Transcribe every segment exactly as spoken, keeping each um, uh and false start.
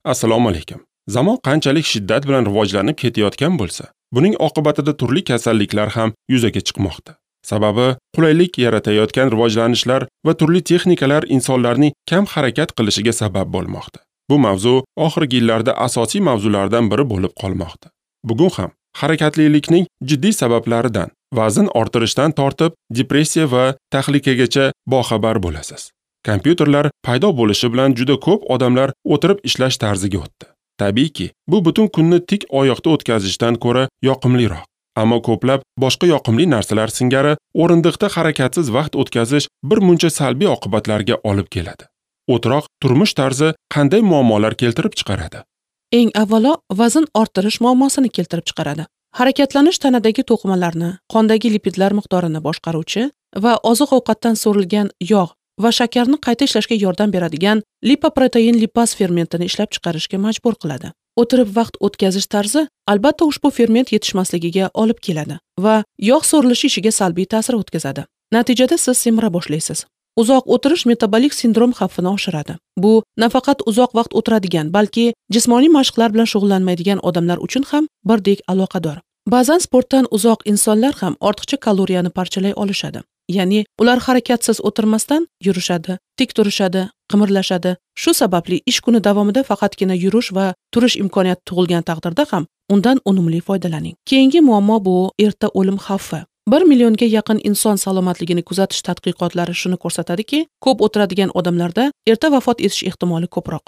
Assalomu alaykum. Zamon qanchalik shiddat bilan rivojlanib ketayotgan bo'lsa, buning oqibatida turli kasalliklar ham yuzaga chiqmoqda. Sababi qulaylik yaratayotgan rivojlanishlar va turli texnikalar insonlarning kam harakat qilishiga sabab bo'lmoqda. Bu mavzu oxirgi yillarda asosiy mavzulardan biri bo'lib qolmoqda. Bugun ham harakatlilikning jiddiy sabablaridan, vazn orttirishdan tortib depressiya va tahlikagacha boxabar bo'lasiz. Kompyuterlar paydo bo'lishi bilan juda ko'p odamlar o'tirib ishlash tarziga o'tdi. Tabiiyki, bu butun kunni tik oyoqda o'tkazishdan ko'ra yoqimliroq. Ammo ko'plab boshqa yoqimli narsalar singari o'rindiqda harakatsiz vaqt o'tkazish bir muncha salbiy oqibatlarga olib keladi. O'tiroq turmush tarzi qanday muammolar keltirib chiqaradi? Eng avvalo vazn orttirish muammosini keltirib chiqaradi. Harakatlanish tanadagi to'qimalarni, qondagi lipidlar miqdorini boshqaruvchi va oziq-ovqatdan so'rilgan yog' va shakarni qayta ishlashga yordam beradigan lipoprotein lipaz fermentini ishlab chiqarishga majbur qiladi. O'tirib vaqt o'tkazish tarzi albatta ushbu ferment yetishmasligiga olib keladi va yog' so'rilishi ishiga salbiy ta'sir o'tkazadi. Natijada siz semira boshlaysiz. Uzoq o'tirish metabolik sindrom xavfini oshiradi. Bu nafaqat uzoq vaqt o'tiradigan, balki jismoniy mashqlar bilan shug'ullanmaydigan odamlar uchun ham birdek aloqador. Ba'zan sportdan uzoq insonlar ham ortiqcha kaloriyani parchalay olishadi. Ya'ni ular harakatsiz o'tirmasdan yurishadi, tik turishadi, qimirlashadi. Shu sababli ish kuni davomida faqatgina yurish va turish imkoniyati tug'ilgan taqdirda ham undan unumli foydalaning. Keyingi muammo bu erta o'lim xavfi. bir millionga yaqin inson salomatligini kuzatish tadqiqotlari shuni ko'rsatadiki, ko'p o'tiradigan odamlarda erta vafot etish ehtimoli ko'proq.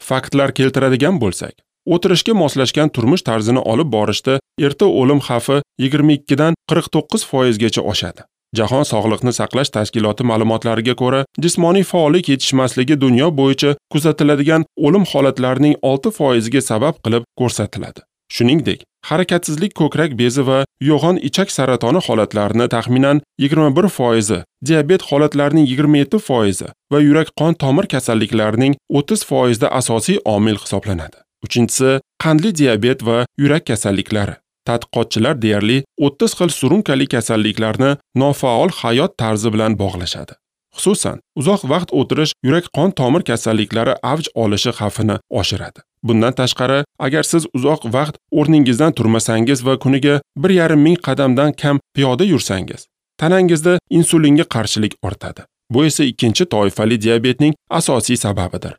Faktlar keltiradigan bo'lsak, o'tirishga moslashgan turmush tarzini olib borishda erta o'lim xavfi yigirma ikkidan qirq to'qqiz foizgacha oshadi. Jahon sog'liqni saqlash tashkiloti ma'lumotlariga ko'ra, jismoniy faollik yetishmasligi dunyo bo'yicha kuzatiladigan o'lim holatlarining olti foiziga sabab qilib ko'rsatiladi. Shuningdek, harakatsizlik ko'krak bezi va yo'g'on ichak saratoni holatlarini taxminan yigirma bir foizi, diabet holatlarining yigirma yetti foizi va yurak-qon tomir kasalliklarining o'ttiz foizida asosiy omil hisoblanadi. Uchinchisi, qandli diabet va yurak kasalliklari. Tadqiqotchilar deyarli o'ttiz xil surunkali kasalliklarni nofaol hayot tarzi bilan bog'lashadi. Xususan, uzoq vaqt o'tirish yurak-qon tomir kasalliklari avj olishi xavfini oshiradi. Bundan tashqari, agar siz uzoq vaqt o'rningizdan turmasangiz va kuniga bir yarim ming qadamdan kam piyoda yursangiz, tanangizda insulinga qarshilik ortadi. Bu esa ikkinchi toifali diabetning asosiy sababidir.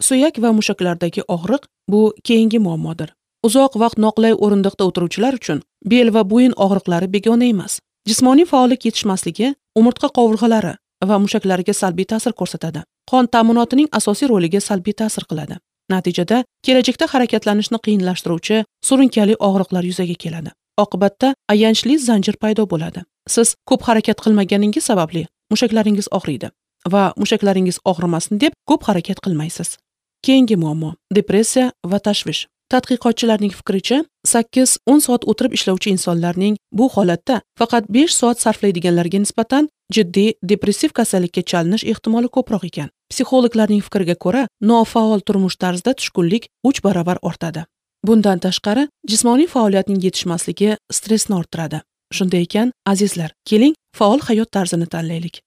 Suyak va mushaklardagi og'riq bu keyingi muammodir. Uzoq vaqt noqulay o'rindiqda o'tiruvchilar uchun bel va bo'yin og'riqlari begona emas. Jismoniy faollik yetishmasligi umurtqa qovurg'alari va mushaklariga salbiy ta'sir ko'rsatadi. Qon ta'minotining asosiy roliga salbiy ta'sir qiladi. Natijada kelajakda harakatlanishni qiyinlashtiruvchi surunkali og'riqlar yuzaga keladi. Oqibatda ayanchli zanjir paydo bo'ladi. Siz ko'p harakat qilmaganingiz sababli mushaklaringiz og'riydi va mushaklaringiz og'rimasin deb ko'p harakat qilmaysiz. Keyingi muammo depressiya va tashvish. Tadqiqotchilarning fikricha, sakkiz o'n soat o'tirib ishlovchi insonlarning bu holatda faqat besh soat sarflaydiganlarga nisbatan jiddiy depressiv kasallikka chalinish ehtimoli ko'proq ekan. Psixologlarning fikriga ko'ra, nofaol turmush tarzida tushkunlik uch barobar ortadi. Bundan tashqari, jismoniy faoliyatning yetishmasligi stressni orttiradi. Shunday ekan, azizlar, keling faol hayot tarzini tanlaylik.